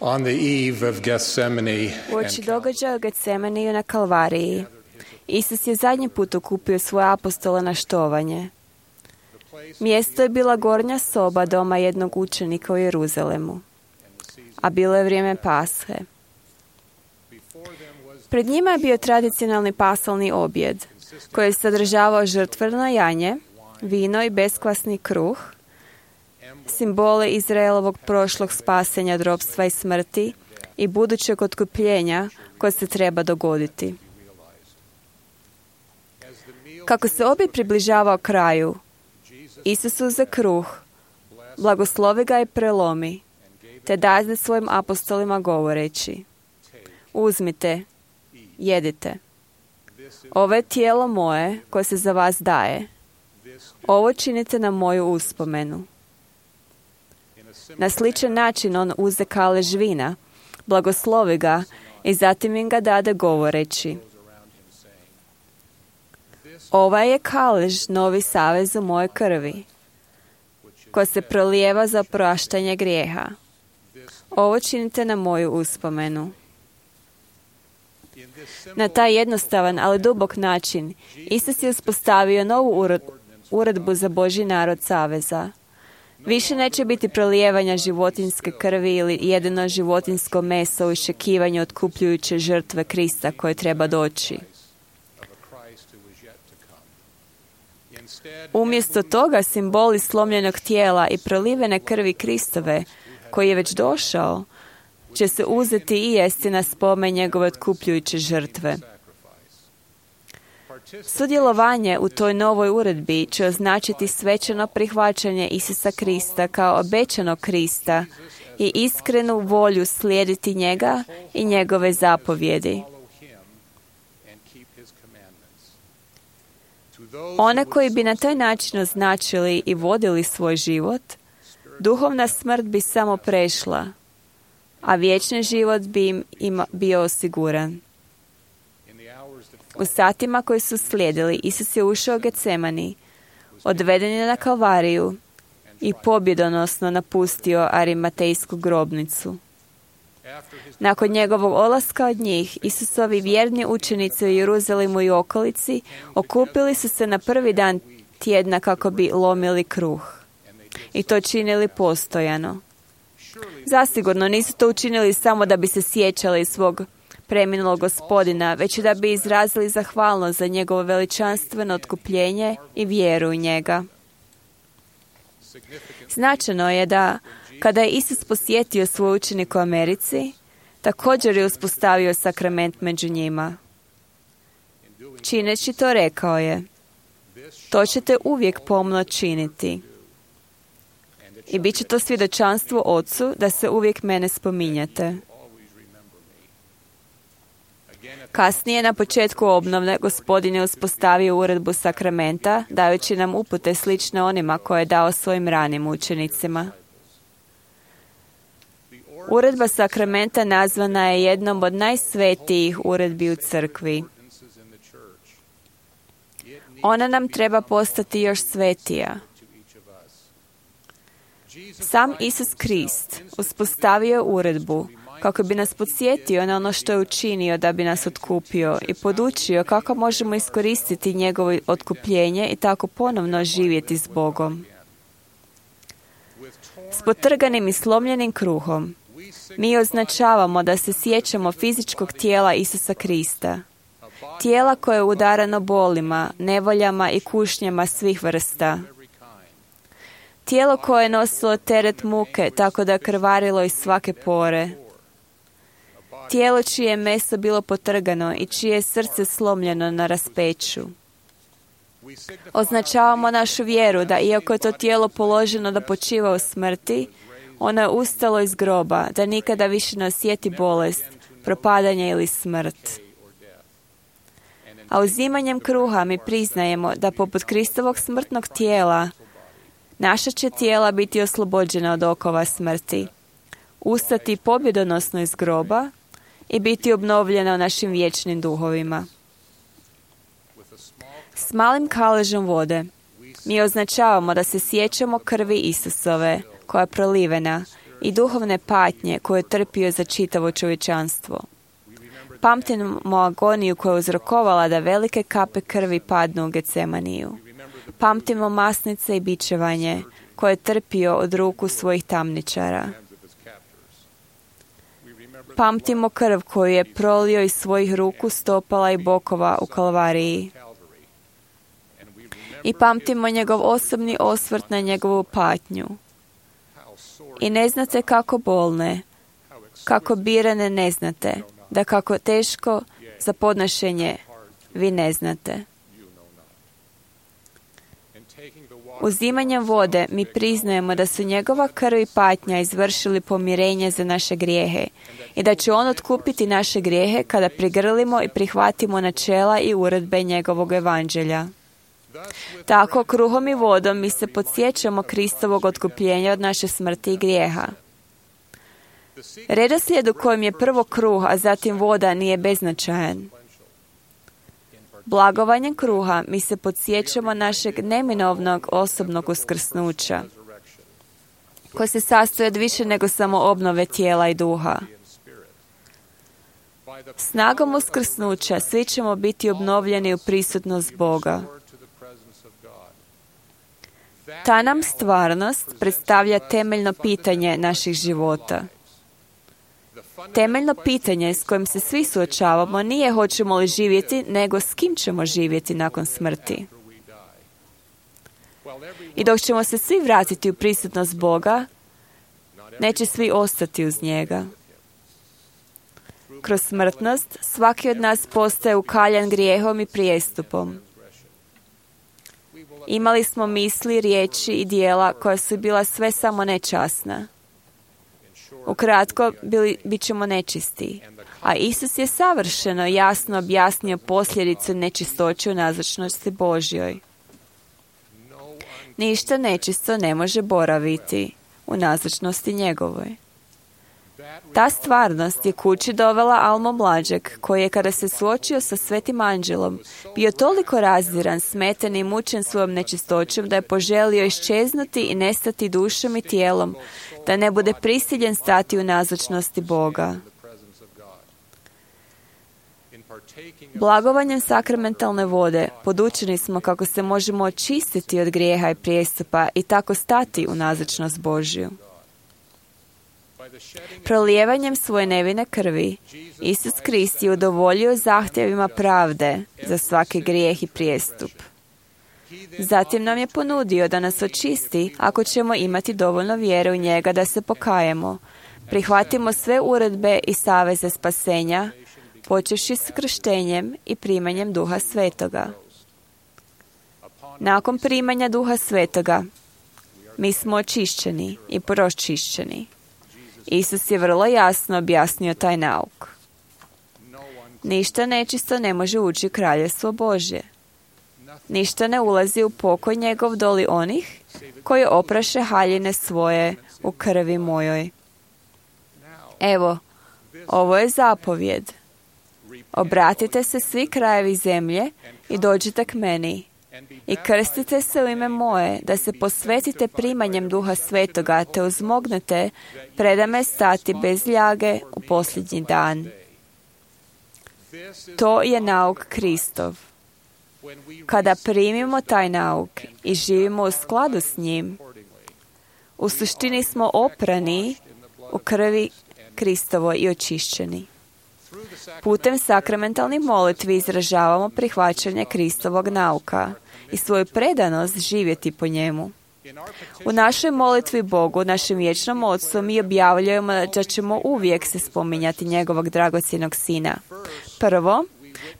On the eve of Gethsemane Uoči događaja u Getsemaniju na Kalvariji, Isus je zadnji put okupio svoje apostole na štovanje. Mjesto je bila gornja soba doma jednog učenika u Jeruzalemu, a bilo je vrijeme Pashe. Pred njima je bio tradicionalni pasalni objed, koji je sadržavao žrtveno janje, vino i beskvasni kruh, simbole Izraelovog prošlog spasenja od ropstva i smrti i budućeg otkupljenja koje se treba dogoditi. Kako se objed približavao kraju, Isus uze kruh, blagoslovi ga i prelomi, te daje svojim apostolima govoreći: uzmite, jedite. Ovo je tijelo moje koje se za vas daje. Ovo činite na moju uspomenu. Na sličan način on uze kalež vina, blagoslovi ga i zatim im ga dade govoreći: ovaj je kalež novi savez u mojoj krvi, koja se prolijeva za opraštanje grijeha. Ovo činite na moju uspomenu. Na taj jednostavan, ali dubok način, Isus je uspostavio novu uredbu za Božji narod saveza. Više neće biti prolijevanja životinjske krvi ili jedino životinjsko meso u iščekivanju otkupljujuće žrtve Krista koje treba doći. Umjesto toga, simboli slomljenog tijela i prolivene krvi Kristove, koji je već došao, će se uzeti i jesti na spomen njegove otkupljujuće žrtve. Sudjelovanje u toj novoj uredbi će označiti svečano prihvaćanje Isusa Krista kao obećanog Krista i iskrenu volju slijediti njega i njegove zapovjedi. One koji bi na taj način označili i vodili svoj život, duhovna smrt bi samo prešla, a vječni život bi im bio osiguran. U satima koji su slijedili, Isus je ušao u Getsemani, odveden je na Kalvariju i pobjedonosno napustio Arimatejsku grobnicu. Nakon njegovog odlaska od njih, Isusovi vjerni učenici u Jeruzalemu i okolici okupili su se na prvi dan tjedna kako bi lomili kruh. I to činili postojano. Zasigurno nisu to učinili samo da bi se sjećali svog preminulog Gospodina, već i da bi izrazili zahvalnost za njegovo veličanstveno otkupljenje i vjeru u njega. Značajno je da, kada je Isus posjetio svoj učenik u Americi, također je uspostavio sakrament među njima. Čineći to rekao je: to ćete uvijek pomno činiti. I bit će to svjedočanstvo Ocu da se uvijek mene spominjete. Kasnije, na početku obnove, Gospodin je uspostavio uredbu sakramenta, dajući nam upute slične onima koje je dao svojim ranim učenicima. Uredba sakramenta nazvana je jednom od najsvetijih uredbi u crkvi. Ona nam treba postati još svetija. Sam Isus Krist uspostavio uredbu kako bi nas podsjetio na ono što je učinio da bi nas otkupio i podučio kako možemo iskoristiti njegovo otkupljenje i tako ponovno živjeti s Bogom. S potrganim i slomljenim kruhom mi označavamo da se sjećamo fizičkog tijela Isusa Krista, tijela koje je udarano bolima, nevoljama i kušnjama svih vrsta. Tijelo koje je nosilo teret muke tako da je krvarilo iz svake pore. Tijelo čije je meso bilo potrgano i čije je srce slomljeno na raspeću. Označavamo našu vjeru da iako je to tijelo položeno da počiva u smrti, ono je ustalo iz groba, da nikada više ne osjeti bolest, propadanje ili smrt. A uzimanjem kruha mi priznajemo da poput Kristovog smrtnog tijela, naša će tijela biti oslobođena od okova smrti, ustati pobjedonosno iz groba i biti obnovljena u našim vječnim duhovima. S malim kaležom vode mi označavamo da se sjećamo krvi Isusove, koja je prolivena, i duhovne patnje koje je trpio za čitavo čovječanstvo. Pamtimo agoniju koja je uzrokovala da velike kape krvi padnu u Getsemaniju. Pamtimo masnice i bičevanje koje je trpio od ruku svojih tamničara. Pamtimo krv koju je prolio iz svojih ruku, stopala i bokova u Kalvariji. I pamtimo njegov osobni osvrt na njegovu patnju. I ne znate kako bolne, kako birane ne znate, da kako teško za podnošenje vi ne znate. Uzimanjem vode mi priznajemo da su njegova krv i patnja izvršili pomirenje za naše grijehe i da će on otkupiti naše grijehe kada prigrlimo i prihvatimo načela i uredbe njegovog evanđelja. Tako, kruhom i vodom mi se podsjećamo Kristovog otkupljenja od naše smrti i grijeha. Redoslijed u kojem je prvo kruh, a zatim voda nije beznačajan. Blagovanjem kruha mi se podsjećamo našeg neminovnog osobnog uskrsnuća, koje se sastoji od više nego samo obnove tijela i duha. Snagom uskrsnuća svi ćemo biti obnovljeni u prisutnost Boga. Ta nam stvarnost predstavlja temeljno pitanje naših života. Temeljno pitanje s kojim se svi suočavamo nije hoćemo li živjeti, nego s kim ćemo živjeti nakon smrti. I dok ćemo se svi vratiti u prisutnost Boga, neće svi ostati uz njega. Kroz smrtnost svaki od nas postaje ukaljan grijehom i prijestupom. Imali smo misli, riječi i dijela koja su bila sve samo nečasna. Ukratko, bit ćemo nečisti. A Isus je savršeno jasno objasnio posljedicu nečistoće u nazočnosti Božjoj. Ništa nečisto ne može boraviti u nazočnosti njegovoj. Ta stvarnost je kući dovela Almo mlađeg, koji je kada se suočio sa svetim anđelom, bio toliko razdiran, smeten i mučen svojom nečistoćom da je poželio iščeznuti i nestati dušom i tijelom, da ne bude prisiljen stati u nazočnosti Boga. Blagovanjem sakramentalne vode podučeni smo kako se možemo očistiti od grijeha i prijestupa i tako stati u nazočnost Božju. Prolijevanjem svoje nevine krvi, Isus Krist je udovoljio zahtjevima pravde za svaki grijeh i prijestup. Zatim nam je ponudio da nas očisti ako ćemo imati dovoljno vjere u njega da se pokajemo, prihvatimo sve uredbe i saveze spasenja, počevši s krštenjem i primanjem Duha Svetoga. Nakon primanja Duha Svetoga, mi smo očišćeni i pročišćeni. Isus je vrlo jasno objasnio taj nauk. Ništa nečisto ne može ući u kraljevstvo Božje. Ništa ne ulazi u pokoj njegov doli onih koji opraše haljine svoje u krvi mojoj. Evo, ovo je zapovjed. Obratite se svi krajevi zemlje i dođite k meni i krstite se u ime moje, da se posvetite primanjem Duha Svetoga, te uzmognete predame stati bez ljage u posljednji dan. To je nauk Kristov. Kada primimo taj nauk i živimo u skladu s njim, u suštini smo oprani u krvi Kristovoj i očišćeni. Putem sakramentalnih molitvi izražavamo prihvaćanje Kristovog nauka i svoju predanost živjeti po njemu. U našoj molitvi Bogu, našem vječnom Otcu, mi objavljujemo da ćemo uvijek se spominjati njegovog dragocjenog Sina. Prvo,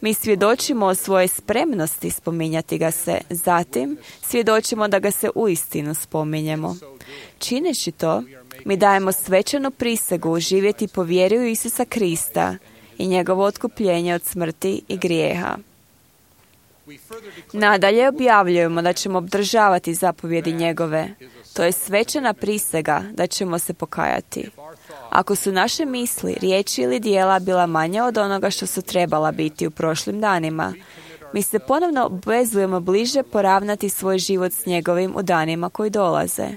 mi svjedočimo o svojoj spremnosti spominjati ga se. Zatim, svjedočimo da ga se uistinu spominjemo. Čineći to, mi dajemo svečanu prisegu živjeti po vjeri u Isusa Krista i njegovo otkupljenje od smrti i grijeha. Nadalje objavljujemo da ćemo obdržavati zapovjedi njegove. To je svečana prisega da ćemo se pokajati. Ako su naše misli, riječi ili dijela bila manja od onoga što su trebala biti u prošlim danima, mi se ponovno obvezujemo bliže poravnati svoj život s njegovim u danima koji dolaze.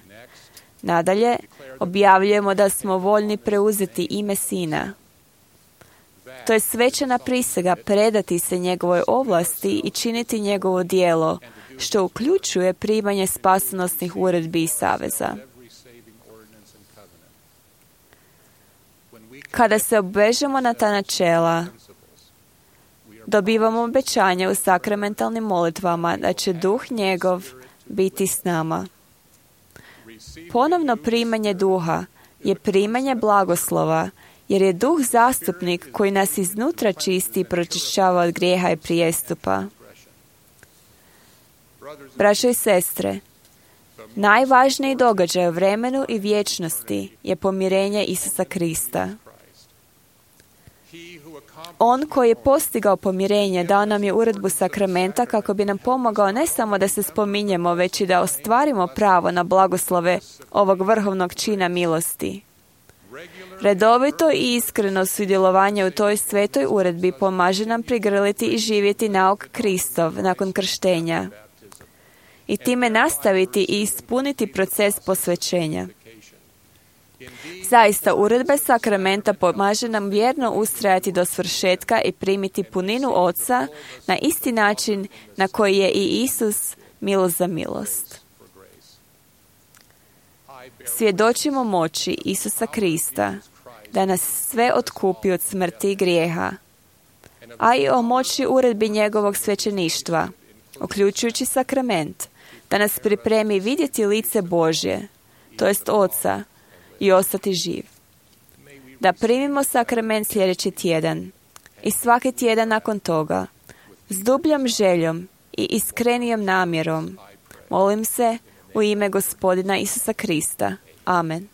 Nadalje, Objavljujemo da smo voljni preuzeti ime Sina. To je svečana prisega predati se njegovoj ovlasti i činiti njegovo djelo, što uključuje primanje spasonosnih uredbi i saveza. Kada se obvežemo na ta načela, dobivamo obećanje u sakramentalnim molitvama da će Duh njegov biti s nama. Ponovno primanje Duha je primanje blagoslova, jer je Duh zastupnik koji nas iznutra čisti i pročišćava od grijeha i prijestupa. Braćo i sestre, najvažniji događaj u vremenu i vječnosti je pomirenje Isusa Krista. On koji je postigao pomirenje dao nam je uredbu sakramenta kako bi nam pomogao ne samo da se spominjemo, već i da ostvarimo pravo na blagoslove ovog vrhovnog čina milosti. Redovito i iskreno sudjelovanje u toj svetoj uredbi pomaže nam prigrliti i živjeti nauk Kristov nakon krštenja i time nastaviti i ispuniti proces posvećenja. Zaista, uredbe sakramenta pomaže nam vjerno ustrajati do svršetka i primiti puninu Oca na isti način na koji je i Isus milost za milost. Svjedočimo moći Isusa Krista da nas sve otkupi od smrti i grijeha, a i o moći uredbi njegovog svećeništva, uključujući sakrament, da nas pripremi vidjeti lice Božje, to jest Oca, i ostati živ. Da primimo sakrament sljedeći tjedan i svaki tjedan nakon toga, s dubljom željom i iskrenijom namjerom, molim se u ime Gospodina Isusa Krista. Amen.